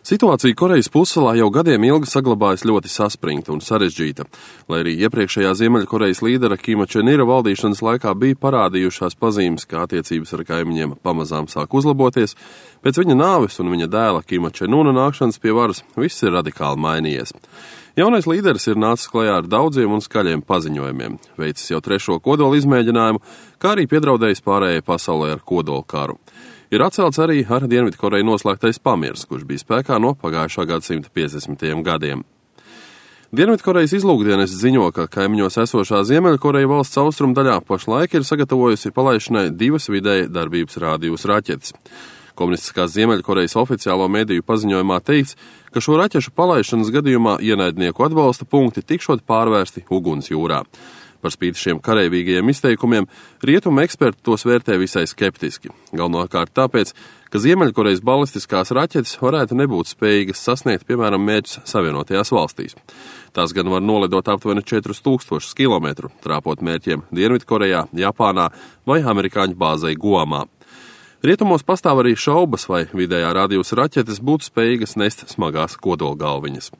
Situācija Korejas pussalā jau gadiem ilgi saglabājas ļoti saspringta un sarežģīta. Lai arī iepriekšējā Ziemeļkorejas līdera Kima Čen Ira valdīšanas laikā bija parādījušās pazīmes, ka attiecības ar kaimiņiem pamazām sāk uzlaboties, pēc viņa nāves un viņa dēla Kima Čen Una nākšanas pie varas viss ir radikāli mainījies. Jaunais līderis ir nācis klajā ar daudziem un skaļiem paziņojumiem, veicis jau 3. kodola izmēģinājumu, kā arī piedraudējis pārējai pasaulē ar kodola karu. Ir atcelts arī ar Dienvidkoreju noslēgtais pamiers, kurš bija spēkā no pagājušā gadsimta 50. gadiem. Dienvidkorejas izlūkdienes ziņo, ka kaimiņos esošā Ziemeļkoreja valsts austrumdaļā pašlaik ir sagatavojusi palaišanai 2 vidēja darbības rādījus raķetes. Komunistiskās Ziemeļkorejas oficiālo mediju paziņojumā teikts, ka šo raķešu palaišanas gadījumā ienaidnieku atbalsta punkti tikšot pārvērsti uguns jūrā. Par spīti šiem kareivīgajiem izteikumiem, rietumu eksperti tos vērtē visai skeptiski. Galvenokārt tāpēc, ka Ziemeļkorejas balistiskās raķetes varētu nebūt spējīgas sasniegt, piemēram, mērķus Savienotajās valstīs. Tās gan var nolidot aptuveni 4000 km, trāpot mērķiem Dienvidkorejā, Japānā vai amerikāņu bāzei Guamā. Rietumos pastāv arī šaubas, vai vidējā rādījus raķetes būtu spējīgas nest smagās kodolgalviņas.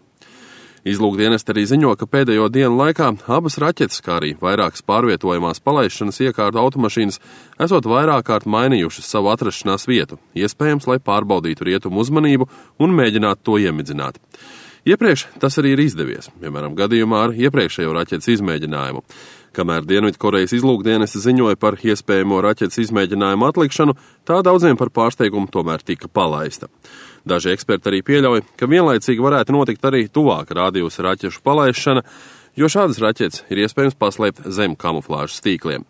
Izlūkdienesti arī ziņo, ka pēdējo dienu laikā abas raķetes, kā arī vairākas pārvietojamās palaišanas iekārtu automašīnas, esot vairāk kārt mainījušas savu atrašanās vietu, iespējams, lai pārbaudītu rietumu uzmanību un mēģinātu to iemidzināt. Iepriekš tas arī ir izdevies, piemēram, gadījumā ar iepriekšējo raķetes izmēģinājumu. Kamēr Dienvidkorejas izlūkdienesti ziņoja par iespējamo raķetes izmēģinājumu atlikšanu, tā daudziem par pārsteigumu tomēr tika palaista. Daži eksperti arī pieļauj, ka vienlaicīgi varētu notikt arī tuvāk rādījus raķešu palaišana, jo šādas raķetes ir iespējams paslēpt zem kamuflāžas tīkliem.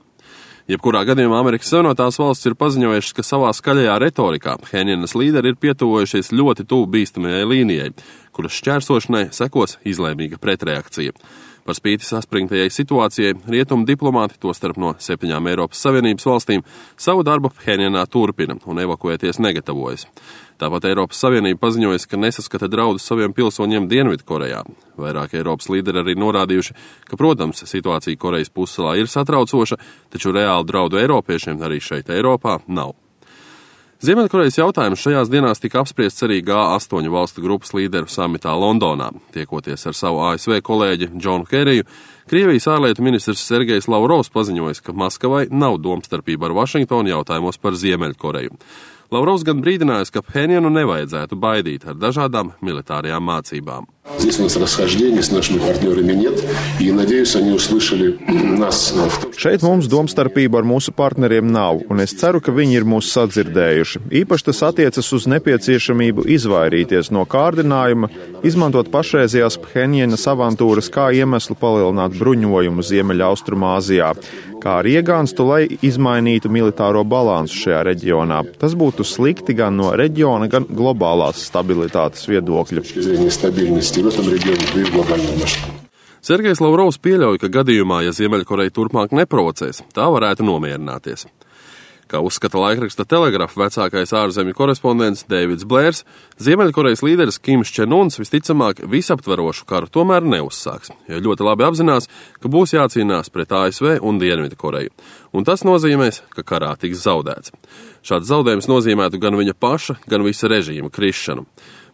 Jebkurā gadījumā Amerikas Savienotās valsts ir paziņojušas, ka savā skaļajā retorikā Phenjanas līderi ir pietuvojušies ļoti tuvu bīstamajai līnijai, kuras šķērsošanai sekos izlēmīga pretreakcija. Par spīti saspringtajai situācijai, rietumu diplomāti, tostarp no 7 Eiropas Savienības valstīm, savu darbu Phenjanā turpina un evakuēties negatavojas. Tāpat Eiropas Savienība paziņojas, ka nesaskata draudus saviem pilsoņiem Dienvidkorejā. Vairāk Eiropas līderi arī norādījuši, ka, protams, situācija Korejas pussalā ir satraucoša, taču reāli draudu eiropiešiem arī šeit Eiropā nav. Ziemeļkorejas jautājums šajās dienās tika apspriests arī G8 valstu grupas līderu samitā Londonā. Tiekoties ar savu ASV kolēģi Džonu Keriju, Krievijas ārlietu ministrs Sergejs Lavrovs paziņoja, ka Maskavai nav domstarpība ar Vašingtonu jautājumos par Ziemeļkoreju. Lavrovs gan brīdinājis, ka Phenjanu nevajadzētu baidīt ar dažādām militārajām mācībām. Šeit mums domstarpība ar mūsu partneriem nav, un es ceru, ka viņi ir mūs sadzirdējuši. Īpaši tas attiecas uz nepieciešamību izvairīties no kārdinājuma, izmantot pašreizējās Phenjanas avantūras kā iemeslu palielināt bruņojumu Ziemeļaustrumāzijā, kā arī iegānstu, lai izmainītu militāro balansu šajā reģionā. Tas būtu slikti gan no reģiona, gan globālās stabilitātes viedokļa. Sergejs Lavrovs pieļauj, ka gadījumā, ja Ziemeļkoreja turpmāk neprovocēs, tā varētu nomierināties. Kā uzskata laikraksta Telegraph vecākais ārzemju korespondents Deivids Blērs, Ziemeļkorejas līderis Kims Čen Uns visticamāk visaptverošu karu tomēr neuzsāks, jo ļoti labi apzinās, ka būs jācīnās pret ASV un Dienvidkoreju, un tas nozīmēs, ka karā tiks zaudēts. Šāds zaudējums nozīmētu gan viņa paša, gan visa režīma krišanu.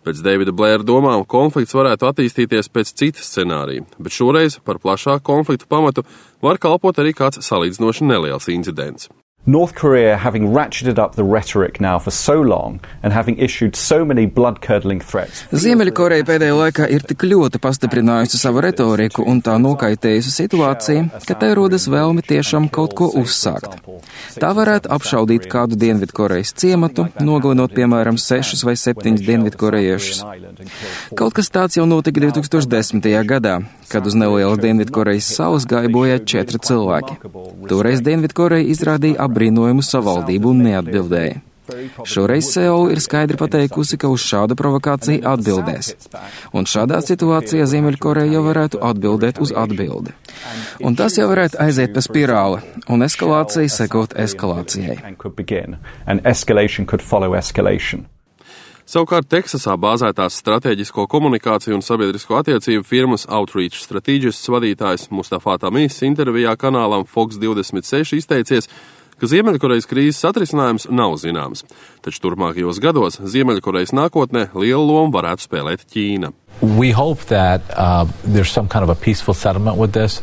Pēc Deivida Blēra domām konflikts varētu attīstīties pēc citas scenārija, bet šoreiz par plašāku konfliktu pamatu var kalpot arī kāds salīdzinoši neliels incidents. North Korea, having ratcheted up the rhetoric now for so long and having issued so many blood-curdling threats. Ziemeļkoreja pēdējā laikā ir tik ļoti pastiprinājusi savu retoriku un tā nokaitējusi situāciju, ka tai rodas vēlme tiešām kaut ko uzsākt. Tā varētu apšaudīt kādu Dienvidkorejas ciematu, nogalinot, piemēram, 6 vai 7 dienvidkorejiešus. Kaut kas tāds jau notika 2010. gadā, kad uz nelielas Dienvidkorejas salas gāja bojā 4 cilvēki. Toreiz Dienvidkoreja izrādīja apbrīnojumu savaldību un neatbildēja. Šoreiz Seula ir skaidri pateikusi, ka uz šādu provokāciju atbildēs. Un šādā situācijā Ziemeļkoreja jau varētu atbildēt uz atbildi. Un tas jau varētu aiziet pa spirāli, un eskalācija sekot eskalācijai. Savukārt Teksasā bāzētās stratēģisko komunikāciju un sabiedrisko attiecību firmas Outreach Strategists vadītājs Mustafa Tamīs intervijā kanālam Fox 26 izteicies, ka Ziemeļkorejas krīzes atrisinājums nav zināms, taču turpmākajos gados Ziemeļkorejas nākotnē lielu lomu varētu spēlēt Ķīna. We hope that there's some kind of a peaceful settlement with this.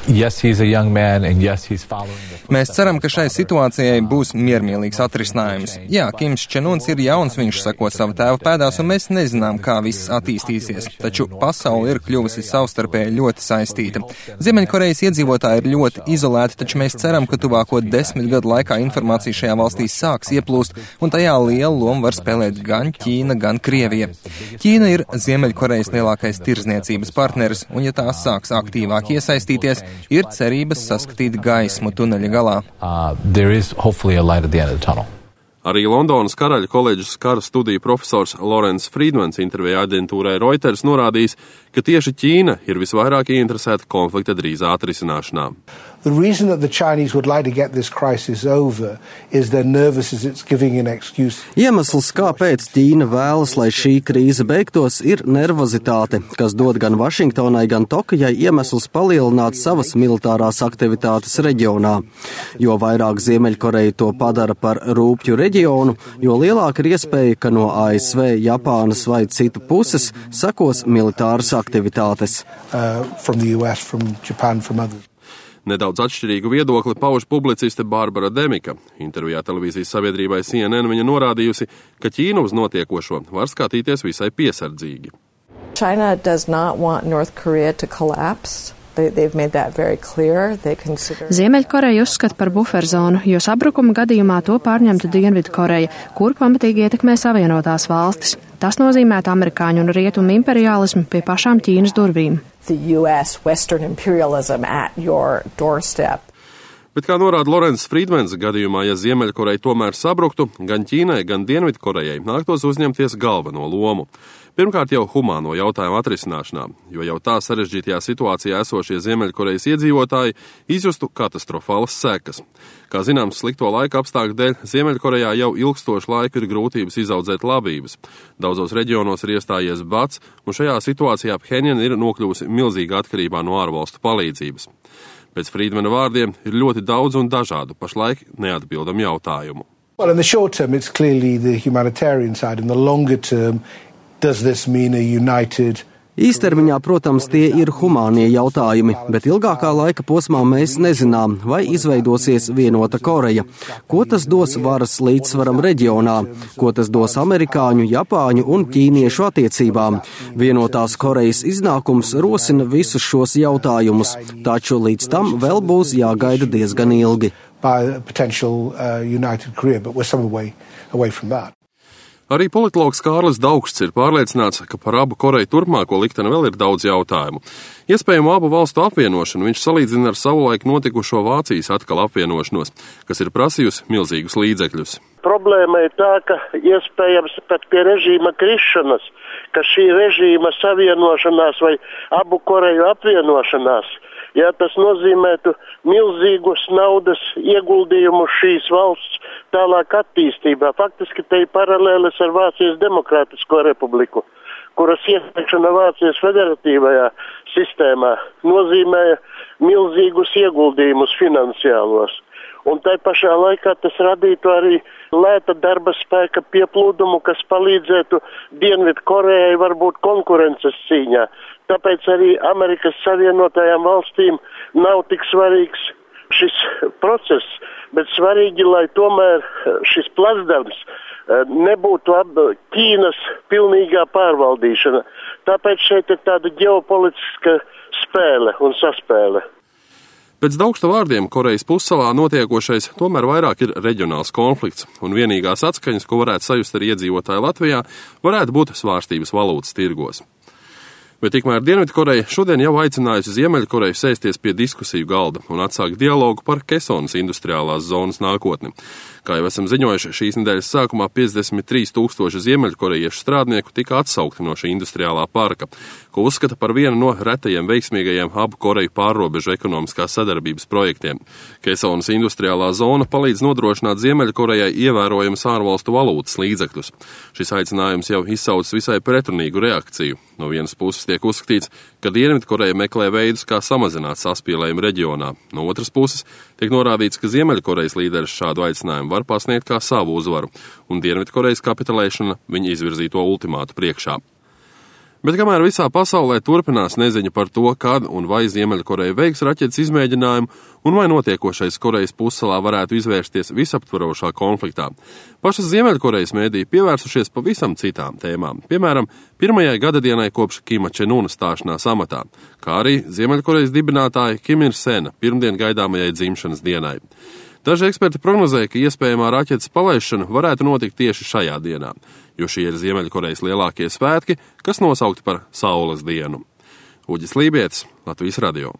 Yes, he's a young man, and yes, he's following the footsteps. Mēs ceram, ka šai situācijai būs miermīlīgs atrisinājums. Jā, Kims Čenuns ir jauns, viņš seko savu tēva pēdās, un mēs nezinām, kā viss attīstīsies. Taču pasaule ir kļuvusi savstarpēji ļoti saistīta. Ziemeļkorejas iedzīvotāji ir ļoti izolēti, taču mēs ceram, ka tuvāko 10 gadu laikā informācija šajā valstī sāks ieplūst, un tajā lielu lomu var spēlēt gan Ķīna, gan Krievija. Ķīna ir Ziemeļkorejas lielākais tirdzniecības partneris, un ja tās sāks aktīvāk iesaistīties, ir cerības saskatīt gaismu tuneļa galā. There is hopefully a light at the end of the tunnel. Arī Londonas Karaļa koledžas kara studiju profesors Lorence Friedmans intervijā aģentūrai Reuters norādījis, ka tieši Ķīna ir visvairāk ieinteresēta konflikta drīzā atrisināšanā. The reason that the Chinese would like to get this crisis over is they're nervous as it's giving an excuse. Iemesls, kāpēc Ķīna vēlas, lai šī krīze beigtos, ir nervozitāte, kas dod gan Vašingtonai, gan Tokijai iemesls palielināt savas militārās aktivitātes reģionā. Jo vairāk Ziemeļkoreja to padara par rūpju reģionu, jo lielāka ir iespēja, ka no ASV, Japānas vai citu puses sekos militāras aktivitātes. From the US, from Japan, from others. Nedaudz atšķirīgu viedokli pauž publiciste Barbara Demika. Intervijā televīzijas sabiedrībai CNN viņa norādījusi, ka Ķīna uz notiekošo var skatīties visai piesardzīgi. China does not want North Korea to collapse. They've made that very clear. Ziemeļkoreja uzskata par buferzonu, jo sabrukuma gadījumā to pārņemtu Dienvidkoreja, kur pamatīgi ietekmē Savienotās valstis. Tas nozīmētu amerikāņu un rietumu imperiālismu pie pašām Ķīnas durvīm. The US Western imperialism at your doorstep. Bet, kā norāda Lorence Friedmans, gadījumā, ja Ziemeļkoreja tomēr sabruktu, gan Ķīnai, gan Dienvidkorejai nāktos uzņemties galveno lomu. Pirmkārt jau humāno jautājumu atrisināšanā, jo jau tā sarežģītajā situācijā esošie Ziemeļkorejas iedzīvotāji izjustu katastrofālas sekas. Kā zināms, slikto laika apstākļu dēļ Ziemeļkorejā jau ilgstošu laiku ir grūtības izaudzēt labības. Daudzos reģionos ir iestājies bats, un šajā situācijā Phenjana ir nokļuvusi milzīgā atkarībā no ārvalstu palīdzības. Pēc Friedmana vārdiem ir ļoti daudz un dažādu pašlaik neatbildam jautājumu. Well, in the short term, it's clearly the humanitarian side. In the longer term, does this mean a united... Īstermiņā, protams, tie ir humānie jautājumi, bet ilgākā laika posmā mēs nezinām, vai izveidosies vienota Koreja. Ko tas dos varas līdzsvaram reģionā? Ko tas dos amerikāņu, japāņu un ķīniešu attiecībām? Vienotās Korejas iznākums rosina visus šos jautājumus, taču līdz tam vēl būs jāgaida diezgan ilgi. Arī politologs Kārlis Daugsts ir pārliecināts, ka par abu Koreju turpmāko likteni vēl ir daudz jautājumu. Iespējamo abu valstu apvienošanu viņš salīdzina ar savulaik notikušo Vācijas atkal apvienošanos, kas ir prasījusi milzīgus līdzekļus. Problēma ir tā, ka iespējams pat pie režīma krišanas, ka šī režīma savienošanās vai abu Koreju apvienošanās, ja tas nozīmētu milzīgus naudas ieguldījumus šīs valsts tālāk attīstībā. Faktiski te ir paralēlis ar Vācijas Demokrātisko republiku, kuras iesaikšana Vācijas federatīvajā sistēmā nozīmēja milzīgus ieguldījumus finansiālos. Un tai pašā laikā tas radītu arī lēta darba spēka pieplūdumu, kas palīdzētu Dienvidkorejai varbūt konkurences cīņā. Tāpēc arī Amerikas Savienotajām valstīm nav tik svarīgs šis process, bet svarīgi, lai tomēr šis plasdarbs nebūtu Ķīnas pilnīgā pārvaldīšana. Tāpēc šeit ir tāda ģeopolitiska spēle un saspēle. Pēc Daugsta vārdiem Korejas pussalā notiekošais tomēr vairāk ir reģionāls konflikts, un vienīgās atskaņas, ko varētu sajust arī iedzīvotāji Latvijā, varētu būt svārstības valūtas tirgos. Bet tikmēr Dienvidkoreja šodien jau aicinājusi Ziemeļkoreju sēsties pie diskusiju galda un atsākt dialogu par Kesonas industriālās zonas nākotni. Kā jau esam ziņojuši, šīs nedēļas sākumā 53 000 ziemeļkorejiešu strādnieku tika atsaukti no šī industriālā parka, ko uzskata par vienu no retajiem veiksmīgajiem abu Koreju pārrobežu ekonomiskās sadarbības projektiem. Kesonas industriālā zona palīdz nodrošināt Ziemeļkorejai ievērojamas ārvalstu valūtas līdzekļus. Šis aicinājums jau izsaucis visai pretrunīgu reakciju. No vienas puses tiek uzskatīts, ka Dienvidkoreja meklē veidus, kā samazināt saspīlējumu reģionā. No otras puses tiek norādīts, ka Ziemeļkorejas līderis šādu aicinājumu var pasniegt kā savu uzvaru, un Dienvidkorejas kapitulēšana viņa izvirzīto ultimātu priekšā. Bet kamēr visā pasaulē turpinās neziņa par to, kad un vai Ziemeļkoreja veiks raķetes izmēģinājumu un vai notiekošais Korejas pussalā varētu izvērsties visaptvarošā konfliktā, pašas Ziemeļkorejas mēdī pievērsušies pavisam citām tēmām, piemēram, pirmajai gadadienai kopš Kima Čenuna stāšanās amatā, kā arī Ziemeļkorejas dibinātāja Kim Ir-sena pirmdien gaidāmajai dzimšanas dienai. Daži eksperti prognozēja, ka iespējamā raķetes palaišana varētu notikt tieši šajā dienā, jo šie ir Ziemeļkorejas lielākie svētki, kas nosaukti par Saules dienu. Uģis Lībietis, Latvijas radio.